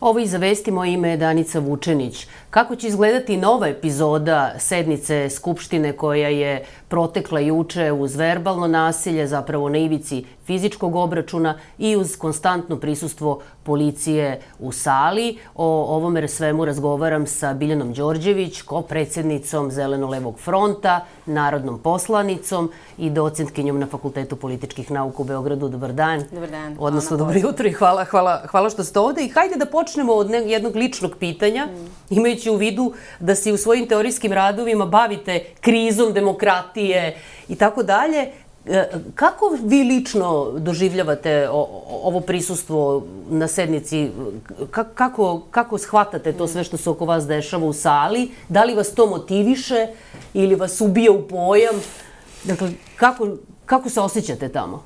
Ovo iza vesti, moje ime je Danica Vučenić. Kako će izgledati nova epizoda sednice Skupštine koja je protekla juče uz verbalno nasilje, zapravo na ivici fizičkog obračuna i uz konstantno prisustvo policije u sali? O ovome svemu razgovaram sa Biljanom Đorđević, ko-predsjednicom Zeleno-levog fronta, narodnom poslanicom i docentkinjom na Fakultetu političkih nauka u Beogradu. Dobar dan. Dobar dan. Odnosno, dobro jutro i hvala što ste ovde. I hajde da počnemo od jednog ličnog pitanja, imajući u vidu da se u svojim teorijskim radovima bavite krizom demokratije i tako dalje. Kako vi lično doživljavate ovo prisustvo na sednici? Kako shvatate to sve što se oko vas dešava u sali? Da li vas to motiviše ili vas ubija u pojam? Dakle, kako se osjećate tamo?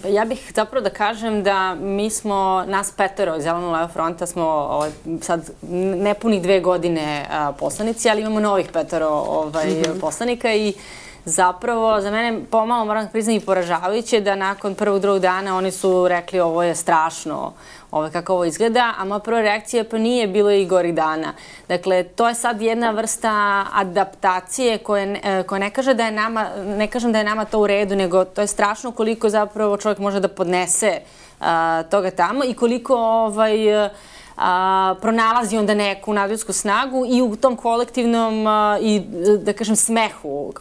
Ja bih zapravo da kažem da mi smo, nas petero iz Zeleno-levog fronta smo sad nepunih 2 godine poslanici, ali imamo novih petero poslanika i zapravo za mene pomalo, moram da priznam, i poražavajuće da nakon prvog, drugog dana oni su rekli ovo je strašno, kako ovo izgleda, a moja prva reakcija pa nije bilo i gorih dana. Dakle, to je sad jedna vrsta adaptacije koja ne kaže da je nama, ne kažem da je nama to u redu, nego to je strašno koliko zapravo čovjek može da podnese toga tamo i koliko pronalazi onda neku nadljudsku snagu i u tom kolektivnom i, da kažem, smehu.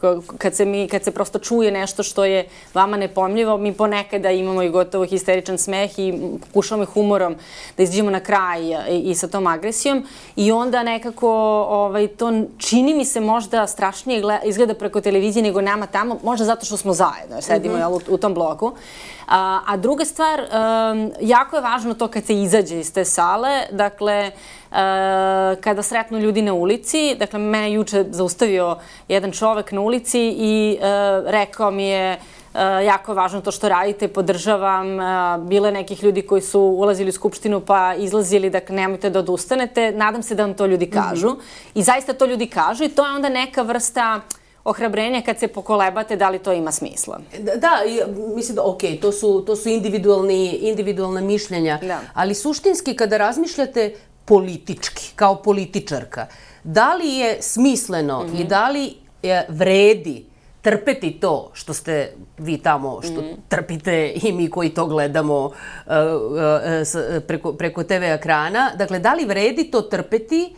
Kad se prosto čuje nešto što je vama nepojmljivo, mi ponekada imamo i gotovo histeričan smeh i pokušavamo i humorom da izađemo na kraj i sa tom agresijom. I onda nekako to čini mi se možda strašnije izgleda preko televizije nego nama tamo, možda zato što smo zajedno, sedimo u tom bloku. A druga stvar, jako je važno to kad se izađe iz te sale, dakle, kada sretnu ljudi na ulici, dakle, mene juče zaustavio jedan čovek na ulici i rekao mi je jako je važno to što radite, podržavam, bile nekih ljudi koji su ulazili u Skupštinu pa izlazili, dakle, nemojte da odustanete, nadam se da vam to ljudi kažu i zaista to ljudi kažu i to je onda neka vrsta ohrabrenja kad se pokolebate da li to ima smisla. Da, mislim da, okej, to su individualna mišljenja, ali suštinski kada razmišljate politički, kao političarka, da li je smisleno i da li vredi trpeti to što ste vi tamo, što trpite i mi koji to gledamo preko TV ekrana, dakle, da li vredi to trpeti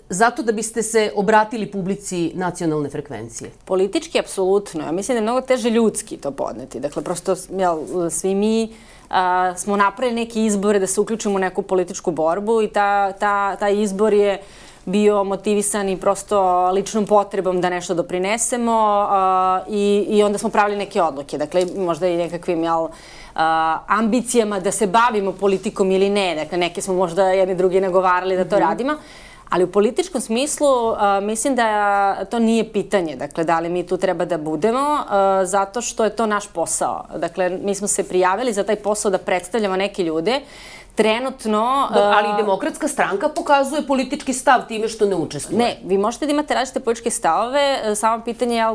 zato da biste se obratili publici nacionalne frekvencije? Politički, apsolutno. Ja mislim da je mnogo teže ljudski to podneti. Dakle, prosto svi mi smo napravili neke izbore da se uključimo u neku političku borbu i taj izbor je bio motivisan i prosto ličnom potrebom da nešto doprinesemo i onda smo pravili neke odluke. Dakle, možda i nekakvim, ambicijama da se bavimo politikom ili ne. Dakle, neke smo možda jedni drugi nagovarali da to radimo. Ali u političkom smislu mislim da to nije pitanje. Dakle, da li mi tu treba da budemo, zato što je to naš posao. Dakle, mi smo se prijavili za taj posao da predstavljamo neke ljude. Trenutno... Ali Demokratska stranka pokazuje politički stav time što ne učestvuje. Ne, vi možete da imate različite političke stavove, samo pitanje je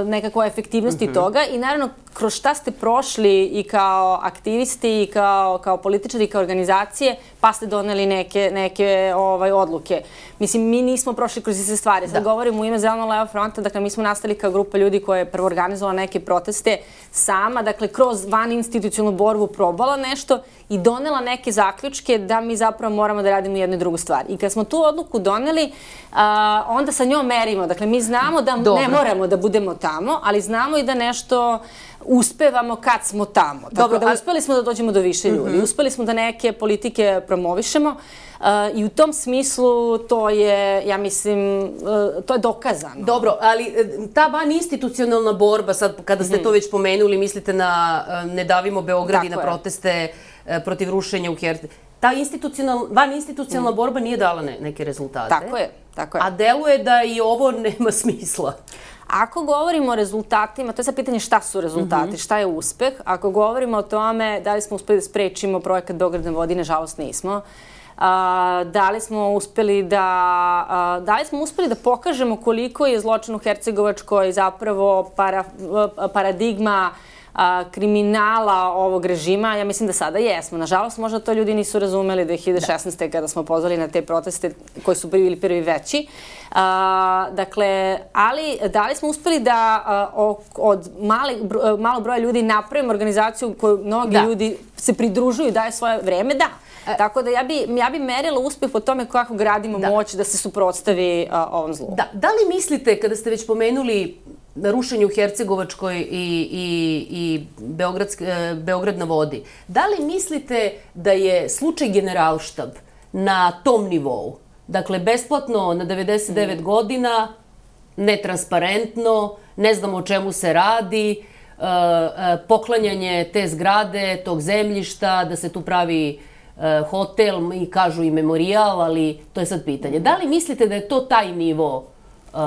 nekakva efektivnosti toga i naravno kroz šta ste prošli i kao aktivisti i kao političari i kao organizacije pa ste doneli neke odluke. Mislim, mi nismo prošli kroz iste stvari. Sad govorim u ime Zeleno-levog fronta, dakle mi smo nastali kao grupa ljudi koja je prvo organizovala neke proteste sama, dakle kroz vaninstitucionalnu borbu probala nešto i donela neke zaključke da mi zapravo moramo da radimo jednu i drugu stvar. I kad smo tu odluku doneli, onda sa njom merimo. Dakle, mi znamo da ne moramo da budemo tamo, ali znamo i da nešto uspevamo kad smo tamo. Tako da uspeli smo da dođemo do više ljudi. Uspeli smo da neke politike promovišemo i u tom smislu to je, ja mislim, to je dokazano. Dobro, ali ta vaninstitucionalna borba, sad kada ste to već pomenuli, mislite na Ne davimo Beograd i na proteste protiv rušenja u Hercegovini. Ta vaninstitucionalna borba nije dala neke rezultate. Tako je. A deluje da i ovo nema smisla. Ako govorimo o rezultatima, to je sad pitanje šta su rezultati, šta je uspeh. Ako govorimo o tome da li smo uspeli da sprečimo projekat Beograd na vodi, nažalost nismo. Da li smo uspeli da pokažemo koliko je zločin u Hercegovačkoj zapravo paradigma kriminala ovog režima, ja mislim da sada jesmo. Nažalost, možda to ljudi nisu razumeli 2016. kada smo pozvali na te proteste koji su bili prvi veći. Dakle, ali da li smo uspeli da od malog broja ljudi napravimo organizaciju koju mnogi ljudi se pridružuju i daju svoje vreme? Da. Tako da ja bi merila uspeh po tome kako gradimo moć da se suprotstavi ovom zlu. Da li mislite, kada ste već pomenuli rušenje u Hercegovačkoj i Beograd na vodi, da li mislite da je slučaj Generalštab na tom nivou? Dakle, besplatno na 99 godina, netransparentno, ne znamo o čemu se radi, poklanjanje te zgrade, tog zemljišta, da se tu pravi hotel i kažu i memorijal, ali to je sad pitanje. Da li mislite da je to taj nivo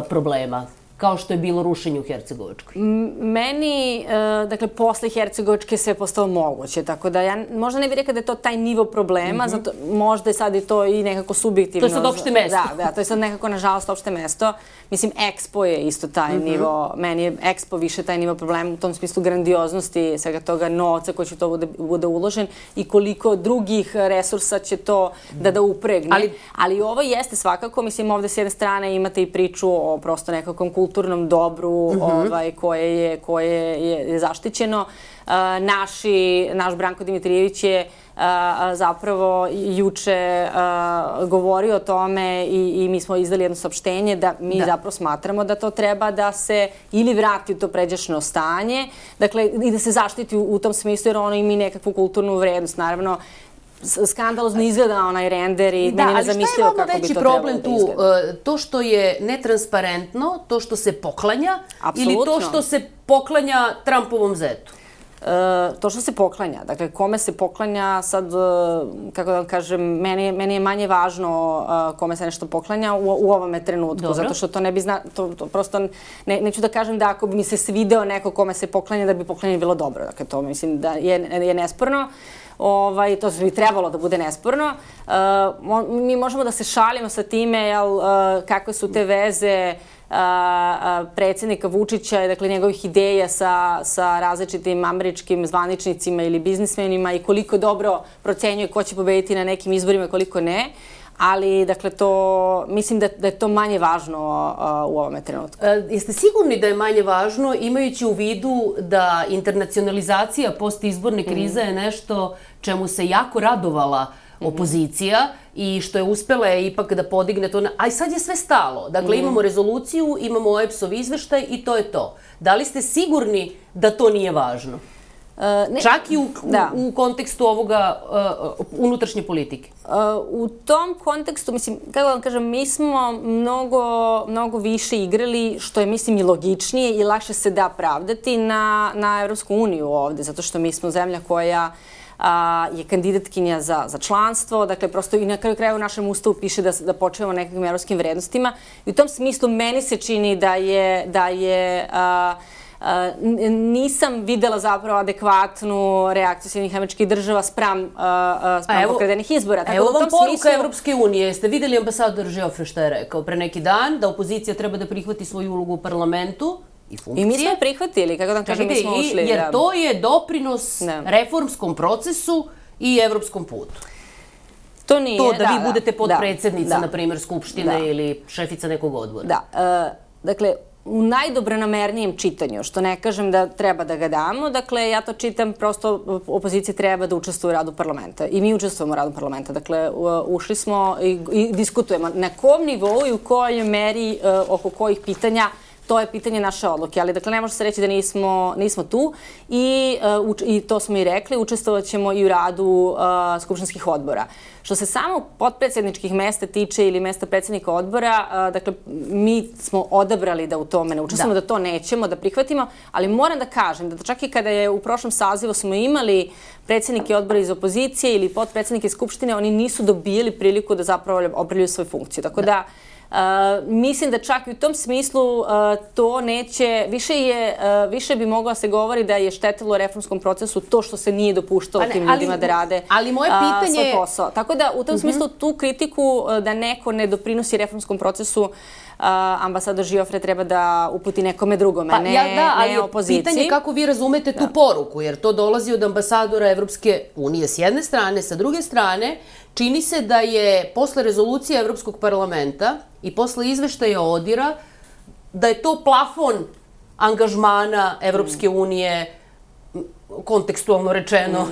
problema, kao što je bilo rušenje u Hercegovačkoj? Meni, dakle, posle Hercegovačke sve je postalo moguće, tako da ja možda ne bih rekla da je to taj nivo problema, zato možda je sad i to i nekako subjektivno. To je sad opšte mesto. Da, to je sad nekako, nažalost, opšte mesto. Mislim, Expo je isto taj nivo, meni je Expo više taj nivo problema u tom smislu grandioznosti, svega toga novca koji će to bude uložen i koliko drugih resursa će to da upregne. Ali ovo jeste svakako, mislim, ovde s jedne strane imate i priču o prosto nekakvom kulturnom dobru koje je zaštićeno. Naš Branko Dimitrijević je zapravo juče govorio o tome i mi smo izdali jedno saopštenje da mi zapravo smatramo da to treba da se ili vrati u to pređašnje stanje, dakle i da se zaštiti u tom smislu jer ono ima nekakvu kulturnu vrednost. Naravno, skandalozno izgleda onaj render i meni ne zamislio kako bi to trebalo da izgleda. Ali šta je vama veći problem tu? To što je netransparentno, to što se poklanja ili to što se poklanja Trumpovom zetu? To što se poklanja. Dakle, kome se poklanja sad, kako da vam kažem, meni je manje važno kome se nešto poklanja u ovome trenutku. Zato što to ne bi to prosto, neću da kažem da ako bi mi se svideo neko kome se poklanja, da bi poklanje bilo dobro. Dakle, to mislim da je nesporno. To bi trebalo da bude nesporno. Mi možemo da se šalimo sa time, kakve su te veze predsjednika Vučića, dakle njegovih ideja sa različitim američkim zvaničnicima ili biznismenima i koliko dobro procenjuje ko će pobediti na nekim izborima i koliko ne. Ali, dakle, mislim da je to manje važno u ovome trenutku. Jeste sigurni da je manje važno, imajući u vidu da internacionalizacija postizborne krize je nešto čemu se jako radovala opozicija i što je uspela ipak da podigne to, a sad je sve stalo. Dakle, imamo rezoluciju, imamo OEBS-ov izveštaj i to je to. Da li ste sigurni da to nije važno? Čak i u kontekstu ovoga unutrašnje politike. U tom kontekstu, mislim, kako vam kažem, mi smo mnogo više igrali, što je, mislim, i logičnije i lakše se da pravdati na Evropsku uniju ovde, zato što mi smo zemlja koja je kandidatkinja za članstvo, dakle prosto i na kraju kraja u našem ustavu piše da počnemo nekakvim evropskim vrednostima i u tom smislu meni se čini da je nisam videla zapravo adekvatnu reakciju Sjedinjenih Američkih Država spram pokradenih izbora. Evo vam poruka Evropske unije. Ste videli ambasador Geoffrey šta je rekao pre neki dan, da opozicija treba da prihvati svoju ulogu u parlamentu i funkcije. I mi smo prihvatili, kako da kažem, mi smo ušli. Jer to je doprinos reformskom procesu i evropskom putu. To nije, to da vi budete potpredsjednica, na primjer, Skupštine ili šefica nekog odbora. Da. Dakle, u najdobronamernijem čitanju, što ne kažem da treba da ga damo, dakle, ja to čitam, prosto opozicija treba da učestvuje u radu parlamenta. I mi učestvujemo u radu parlamenta. Dakle, ušli smo i diskutujemo. Na kom nivou i u kojoj meri, oko kojih pitanja, to je pitanje naše odluke, ali dakle ne može se reći da nismo tu i to smo i rekli, učestvovat ćemo i u radu skupštinskih odbora. Što se samo potpredsjedničkih mesta tiče ili mesta predsjednika odbora, dakle mi smo odabrali da u tome ne učestvujemo, da to nećemo, da prihvatimo, ali moram da kažem da čak i kada je u prošlom sazivu smo imali predsjednike odbora iz opozicije ili potpredsjednike skupštine, oni nisu dobijali priliku da zapravo obavljaju svoju funkciju. Tako da Mislim da čak i u tom smislu to neće, više bi mogla se govori da je štetilo reformskom procesu to što se nije dopuštalo tim ljudima da rade svoj posao. Tako da u tom smislu tu kritiku da neko ne doprinosi reformskom procesu ambasador Žiofre treba da uputi nekome drugome, ne opoziciji. Pitanje je kako vi razumete tu poruku, jer to dolazi od ambasadora Evropske unije s jedne strane, sa druge strane čini se da je posle rezolucije Evropskog parlamenta i posle izveštaja ODIR-a da je to plafon angažmana Evropske unije, kontekstualno rečeno,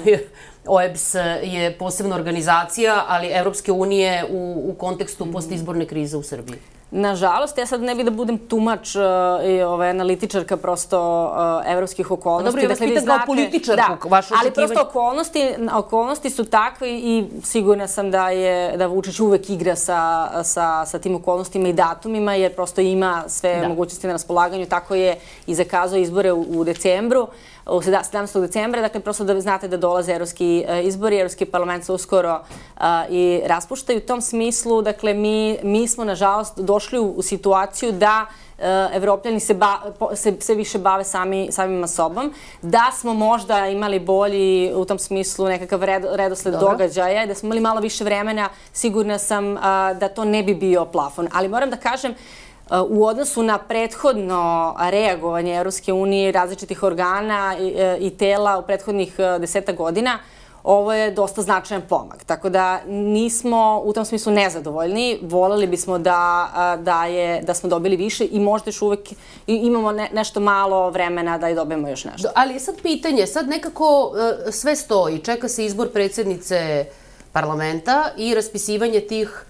OEBS je posebna organizacija, ali Evropske unije u kontekstu postizborne krize u Srbiji. Nažalost, ja sad ne bih da budem tumač analitičarka prosto evropskih okolnosti. Dobro, ja vas pitam kao političarku, vaše očekivanje. Ali prosto okolnosti su takve i sigurna sam da Vučić uvek igra sa tim okolnostima i datumima, jer prosto ima sve mogućnosti na raspolaganju. Tako je i zakazao izbore u decembru. 17. decembra, dakle, prosto da znate da dolaze evropski izbori, Evropski parlament se uskoro i raspuštaju. U tom smislu, dakle, mi smo, nažalost, došli u situaciju da Evropljani se više bave samima sobom, da smo možda imali bolji, u tom smislu, nekakav redosled događaja, da smo imali malo više vremena, sigurna sam da to ne bi bio plafon. Ali moram da kažem, u odnosu na prethodno reagovanje Evropske unije i različitih organa i tela u prethodnih 10 godina, ovo je dosta značajan pomak. Tako da nismo u tom smislu nezadovoljni. Voleli bismo da smo dobili više i možda još uvek imamo nešto malo vremena da i dobijemo još nešto. Ali je sad pitanje, sad nekako sve stoji. Čeka se izbor predsjednice parlamenta i raspisivanje tih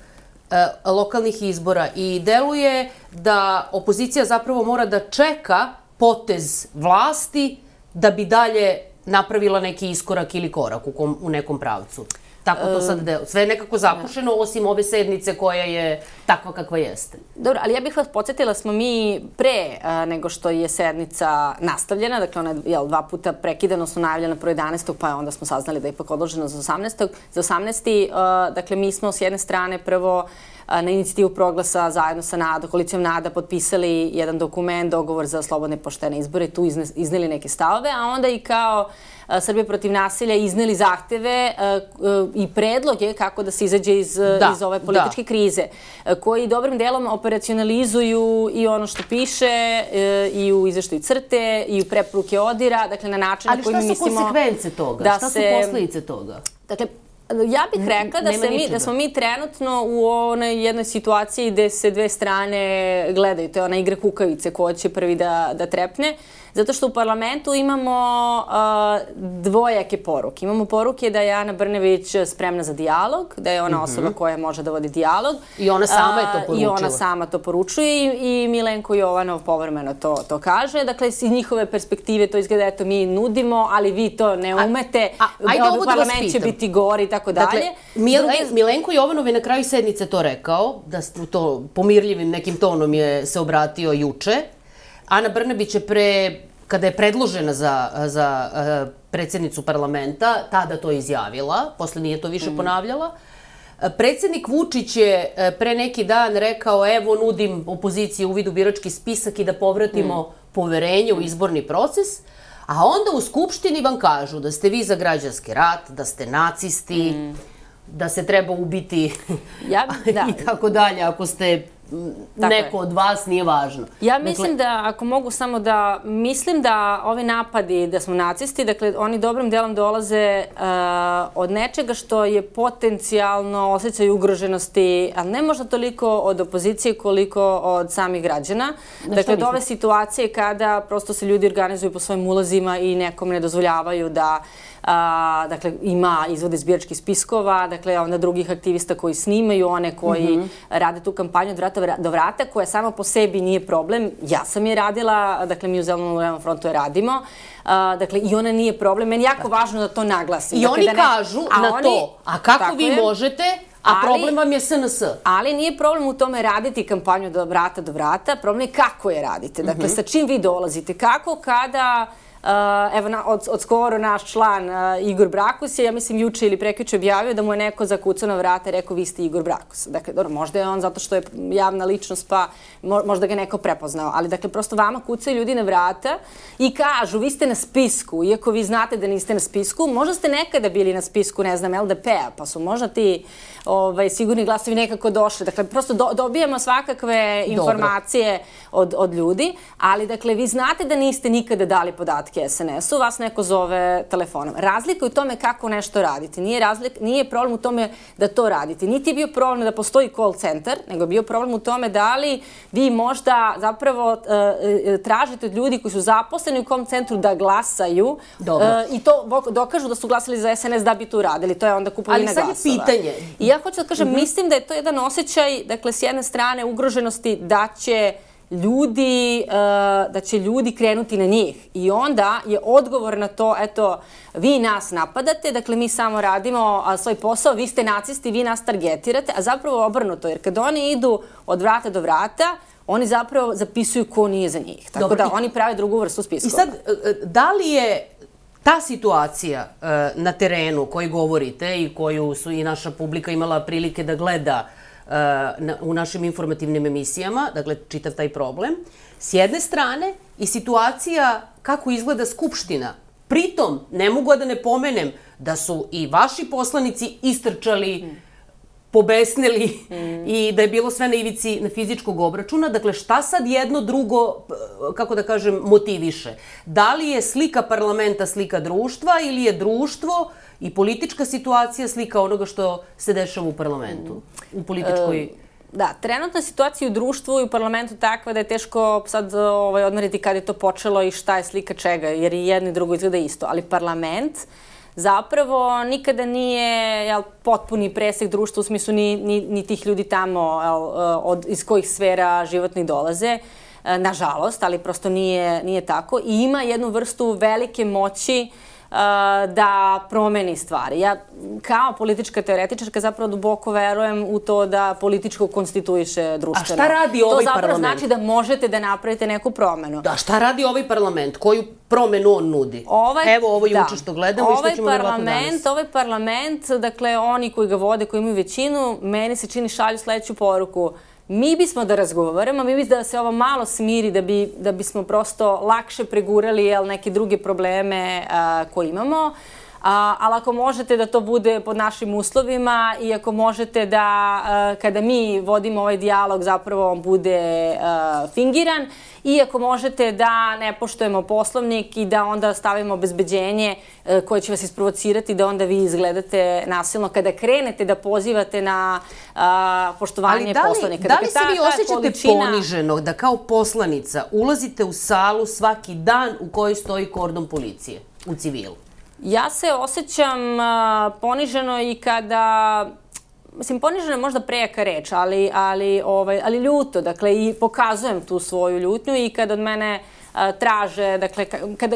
lokalnih izbora i deluje da opozicija zapravo mora da čeka potez vlasti da bi dalje napravila neki iskorak ili korak u nekom pravcu. Tako to sad deluje. Sve je nekako zapušeno, osim ove sednice koja je takva kakva jeste. Dobro, ali ja bih vas podsjetila, smo mi pre nego što je sednica nastavljena, dakle ona je 2 puta prekidano, su najavljena prvo 11. pa onda smo saznali da je ipak odloženo za 18. Dakle, mi smo s jedne strane prvo na inicijativu Proglasa zajedno sa koalicijom NADA potpisali jedan dokument, dogovor za slobodne i poštene izbore, tu izneli neke stavove, a onda i kao Srbija protiv nasilja izneli zahteve i predloge kako da se izađe iz ove političke krize, koji dobrim delom operacionalizuju i ono što piše i u izveštaju CRTE i u preporuke ODIR-a, dakle na način na koji mi mislimo... Ali šta su konsekvence toga? Šta su posledice toga? Dakle, ja bih rekla da smo mi trenutno u onoj jednoj situaciji gde se dve strane gledaju. To je ona igra kukavice, ko će prvi da trepne. Zato što u parlamentu imamo dvojake poruke. Imamo poruke da je Ana Brnabić spremna za dijalog, da je ona osoba koja može da vodi dijalog. I ona sama je to poručila. I ona sama to poručuje i Milenko Jovanov povremeno to kaže. Dakle, iz njihove perspektive to izgleda, eto, mi nudimo, ali vi to ne umete. Parlament će biti gori i tako dalje. Dakle, Milenko Jovanov je na kraju sednice to rekao, da to pomirljivim nekim tonom se obratio juče. Ana Brnabić je kada je predložena za predsjednicu parlamenta, tada to izjavila, posle nije to više ponavljala. Predsjednik Vučić je pre neki dan rekao, evo nudim opoziciji uvid u birački spisak i da povratimo poverenje u izborni proces, a onda u Skupštini vam kažu da ste vi za građanski rat, da ste nacisti, da se treba ubiti i tako dalje, ako ste neko od vas, nije važno. Ja mislim da, ako mogu samo da, mislim da ovi napadi da smo nacisti, dakle, oni dobrim delom dolaze od nečega što je potencijalno osjećaj ugroženosti, ali ne možda toliko od opozicije koliko od samih građana. Dakle, od ove situacije kada prosto se ljudi organizuju po svojim ulazima i nekom ne dozvoljavaju da dakle, ima izvode iz biračkih spiskova, dakle, onda drugih aktivista koji snimaju, one koji rade tu kampanju od vrata do vrata, koja sama po sebi nije problem. Ja sam je radila, dakle, mi u Zelenom frontu je radimo, dakle, i ona nije problem. Meni je jako važno da to naglasim. I oni kažu na to, a kako vi možete, a problem vam je SNS. Ali nije problem u tome raditi kampanju od vrata do vrata, problem je kako je radite. Dakle, sa čim vi dolazite, kako kada Evo, od skoro naš član Igor Brakus je, ja mislim, juče ili prekjuče objavio da mu je neko zakucao na vrata i rekao vi ste Igor Brakus. Dakle, dobro, možda je on zato što je javna ličnost, pa možda ga neko prepoznao. Ali, dakle, prosto vama kucaju ljudi na vrata i kažu vi ste na spisku, iako vi znate da niste na spisku, možda ste nekada bili na spisku, ne znam, LDP-a, pa su možda ti sigurni glasovi nekako došli. Dakle, prosto dobijamo svakakve informacije od ljudi, ali, dakle, vi znate da niste nikada dali podatke SNS-u, vas neko zove telefonom. Razlika je u tome kako nešto radite. Nije problem u tome da to radite. Niti je bio problem da postoji call center, nego je bio problem u tome da li vi možda zapravo tražite od ljudi koji su zaposleni u call centru da glasaju i to dokažu da su glasali za SNS da bi to uradili. To je onda kupovina glasova. Ali sad je pitanje. I ja hoću da kažem, mislim da je to jedan osjećaj, dakle, s jedne strane ugroženosti da će ljudi krenuti na njih. I onda je odgovor na to, eto, vi nas napadate, dakle mi samo radimo svoj posao, vi ste nacisti, vi nas targetirate, a zapravo obrnuto, jer kad oni idu od vrata do vrata, oni zapravo zapisuju ko nije za njih. Tako da oni prave drugu vrstu spiskova. I sad, da li je ta situacija na terenu koju govorite i koju su i naša publika imala prilike da gleda u našim informativnim emisijama, dakle, čitav taj problem, s jedne strane i situacija kako izgleda Skupština. Pritom, ne mogu da ne pomenem da su i vaši poslanici istrčali, pobesnili i da je bilo sve na ivici na fizičkog obračuna. Dakle, šta sad jedno drugo, kako da kažem, motiviše? Da li je slika parlamenta slika društva ili je društvo i politička situacija slika onoga što se dešava u parlamentu, u političkoj... Da, trenutna situacija u društvu i u parlamentu takva da je teško sad odmeriti kada je to počelo i šta je slika čega, jer i jedno i drugo izgleda isto. Ali parlament zapravo nikada nije potpuni presek društva, u smislu ni tih ljudi tamo iz kojih sfera životnih dolaze, nažalost, ali prosto nije tako. I ima jednu vrstu velike moći da promeni stvari. Ja kao politička teoretičarka zapravo duboko verujem u to da političko konstituiše društveno. A šta radi ovaj parlament? To zapravo znači da možete da napravite neku promenu. Da, šta radi ovaj parlament? Koju promenu on nudi? Evo ovo juče što gledamo i što ćemo verovatno danas. Ovaj parlament, dakle oni koji ga vode, koji imaju većinu, meni se čini šalju sledeću poruku. Mi bismo da razgovaramo, mi bismo da se ovo malo smiri da bismo prosto lakše pregurali neke druge probleme koje imamo. Ali ako možete da to bude pod našim uslovima i ako možete da kada mi vodimo ovaj dijalog zapravo on bude fingiran i ako možete da ne poštujemo poslovnik i da onda stavimo obezbeđenje koje će vas isprovocirati da onda vi izgledate nasilno kada krenete da pozivate na poštovanje poslovnika. Da li se vi osjećate poniženo da kao poslanica ulazite u salu svaki dan u kojoj stoji kordon policije u civilu? Ja se osjećam poniženo i kada, mislim, poniženo je možda prejaka reč, ali ljuto, dakle, i pokazujem tu svoju ljutnju i kada od mene traže, dakle,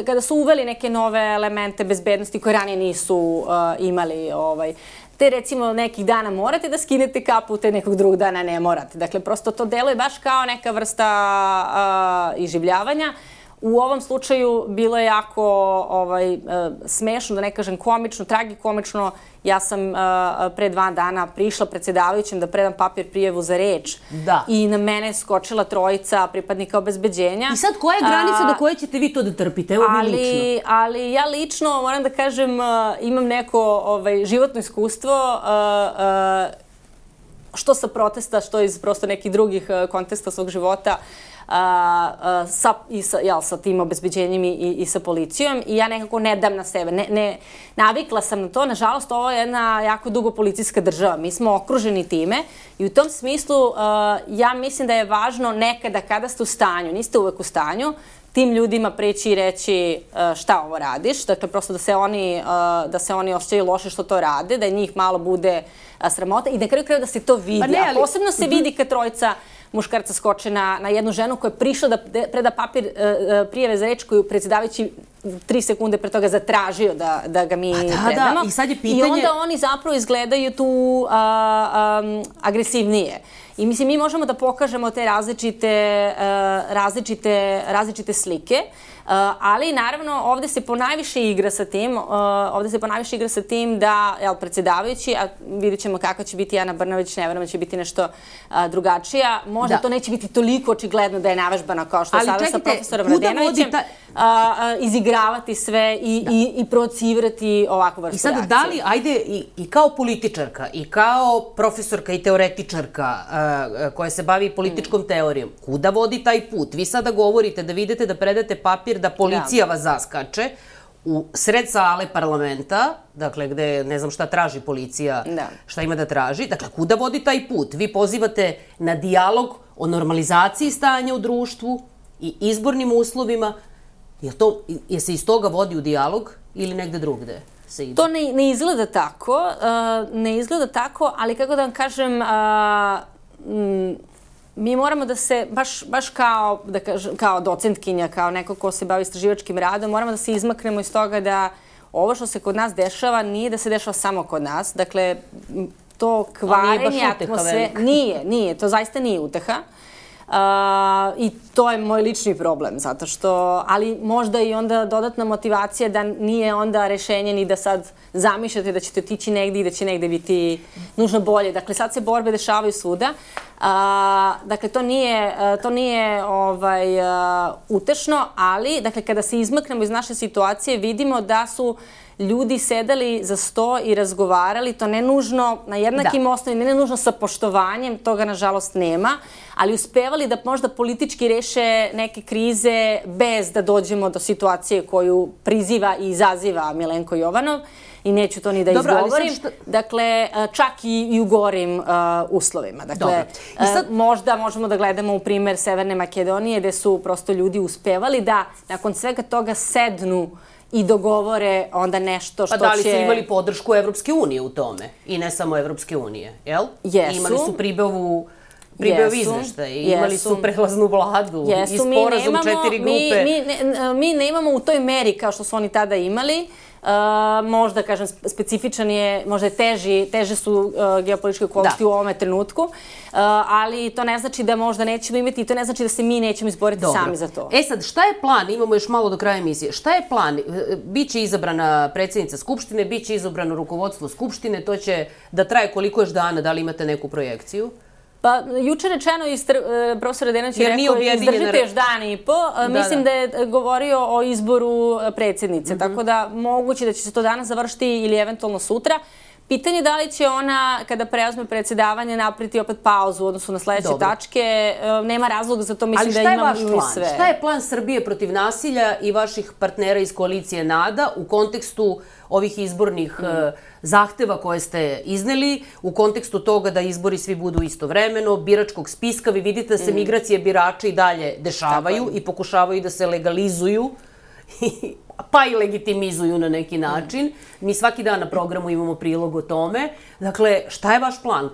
kada su uveli neke nove elemente bezbednosti koje ranije nisu imali, te recimo nekih dana morate da skinete kapu, te nekog drugog dana ne morate. Dakle, prosto to deluje baš kao neka vrsta iživljavanja. U ovom slučaju bilo je jako smešno, da ne kažem komično, tragikomično. Ja sam pre 2 dana prišla predsjedavajućem da predam papir prijavu za reč i na mene skočila 3 pripadnika obezbeđenja. I sad koja je granica do koje ćete vi to da trpite? Evo vi lično. Ali ja lično, moram da kažem, imam neko životno iskustvo što sa protesta, što iz prosto nekih drugih konteksta svog života, sa tim obezbeđenjem i sa policijom i ja nekako ne dam na sebe. Navikla sam na to. Nažalost, ovo je jedna jako dugo policijska država. Mi smo okruženi time i u tom smislu ja mislim da je važno nekada kada ste u stanju, niste uvek u stanju, tim ljudima preći i reći šta ovo radiš. Dakle, prosto da se oni osjećaju loše što to rade, da njih malo bude sramota i na kraju krajeva da se to vidi. A posebno se vidi kad 3 muškarca skoče na jednu ženu koja je prišla da preda papir prijave za reč koju predsjedavajući 3 sekunde pre toga zatražio da ga mi predamo. Da, i sad je pitanje... I onda oni zapravo izgledaju tu agresivnije. I mislim, mi možemo da pokažemo te različite slike, ali naravno ovde se ponajviše igra sa tim da, predsjedavajući, a vidjet ćemo kako će biti Ana Brnabić, ne verujem da će biti nešto drugačija, možda to neće biti toliko očigledno da je navežbana kao što je sada sa profesorom Radenovićem, izigravati sve i provocirati ovakvu vrstu reakcije. I sad, da li, ajde, i kao političarka, i kao profesorka i teoretičarka koja se bavi političkom teorijom, kuda vodi taj put? Vi sada govorite da vidite da predate papir da policija vas zaskače u sred sale parlamenta, dakle, gde ne znam šta traži policija, šta ima da traži. Dakle, kuda vodi taj put? Vi pozivate na dijalog o normalizaciji stanja u društvu i izbornim uslovima. Je se iz toga vodi u dijalog ili negde drugde se ide? To ne izgleda tako, ali kako da vam kažem, mi moramo da se, baš kao docentkinja, kao neko ko se bavi istraživačkim radom, moramo da se izmaknemo iz toga da ovo što se kod nas dešava nije da se dešava samo kod nas. Dakle, to kvarenje atmosfere... Nije, to zaista nije uteha. I to je moj lični problem, zato što, ali možda i onda dodatna motivacija da nije onda rešenje ni da sad zamišljate da ćete otići negde i da će negde biti nužno bolje. Dakle, sad se borbe dešavaju svuda. Dakle, to nije utešno, ali, dakle, kada se izmaknemo iz naše situacije, vidimo da su ljudi sedali za sto i razgovarali, to ne nužno na jednakim osnovima, ne nužno sa poštovanjem, toga nažalost nema, ali uspevali da možda politički reše neke krize bez da dođemo do situacije koju priziva i izaziva Milenko Jovanov. I neću to ni da izgovorim. Dakle, čak i u gorim uslovima. Dakle, možda možemo da gledamo u primer Severne Makedonije, gde su prosto ljudi uspevali da nakon svega toga sednu i dogovore onda nešto što će... Pa da li su imali podršku Evropske unije u tome? I ne samo Evropske unije, jel? Jesu. Imali su pribavu izveštaj, imali su prelaznu vladu i sporazum 4 grupe. Mi nemamo u toj meri kao što su oni tada imali. Možda, kažem, specifičan je, možda je teže su geopolitičke okolnosti u ovome trenutku, ali to ne znači da možda nećemo imati i to ne znači da se mi nećemo izboriti sami za to. E sad, šta je plan? Imamo još malo do kraja emisije. Šta je plan? Biće izabrana predsjednica Skupštine, biće izabrano rukovodstvo Skupštine, to će da traje koliko još dana, da li imate neku projekciju? Pa, juče rečeno, profesor Radenović je rekao, izdržite još dan i po. Mislim da je govorio o izboru predsjednice, tako da moguće da će se to danas završiti ili eventualno sutra. Pitanje je da li će ona, kada preuzme predsjedavanje, napraviti opet pauzu u odnosu na sledeće tačke. Nema razloga za to, mislim da imamo i sve. Šta je plan Srbije protiv nasilja i vaših partnera iz koalicije NADA u kontekstu ovih izbornih zahteva koje ste izneli, u kontekstu toga da izbori svi budu istovremeno, biračkog spiska? Vi vidite da se migracije birača i dalje dešavaju i pokušavaju da se legalizuju pa i legitimizuju na neki način. Mi svaki dan na programu imamo prilog o tome. Dakle, šta je vaš plan?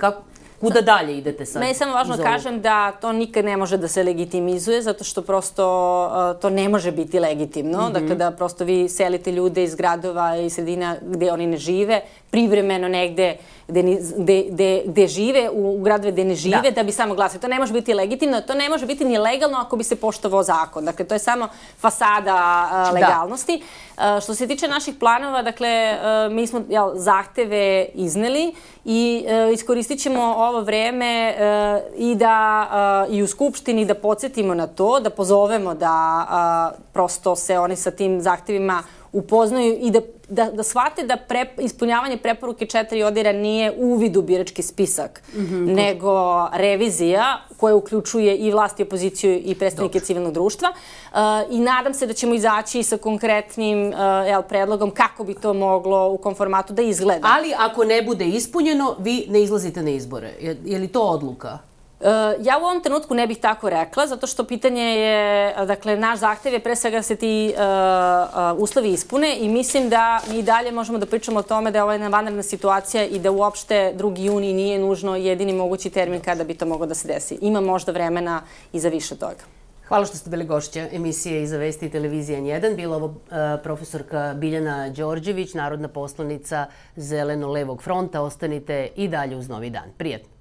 Kuda dalje idete sad? Meni je samo važno kažem da to nikad ne može da se legitimizuje, zato što prosto to ne može biti legitimno. Dakle, da prosto vi selite ljude iz gradova i sredina gde oni ne žive, privremeno negde gde žive, u gradove gde ne žive, da bi samo glasili. To ne može biti legitimno, to ne može biti ni legalno ako bi se poštovao zakon. Dakle, to je samo fasada legalnosti. Što se tiče naših planova, dakle, mi smo zahteve izneli i iskoristit ćemo ovo vreme i u Skupštini da podsjetimo na to, da pozovemo da prosto se oni sa tim zahtevima upoznaju i da shvate da ispunjavanje preporuke 4 ODIHR-a nije uvid u birački spisak, nego revizija koja uključuje i vlast i opoziciju i predstavnike civilnog društva. I nadam se da ćemo izaći sa konkretnim predlogom kako bi to moglo u kom formatu da izgleda. Ali ako ne bude ispunjeno, vi ne izlazite na izbore. Je li to odluka? Ja u ovom trenutku ne bih tako rekla, zato što pitanje je, dakle, naš zahtev je pre svega da se ti uslovi ispune i mislim da mi dalje možemo da pričamo o tome da je ovo jedna vanredna situacija i da uopšte 2. juni nije nužno jedini mogući termin kada bi to moglo da se desi. Ima možda vremena i za više toga. Hvala što ste bili gošća emisije Iza vesti i televizije N1. Bila ovo profesorka Biljana Đorđević, narodna poslanica Zeleno-levog fronta. Ostanite i dalje uz Novi dan. Prijetno.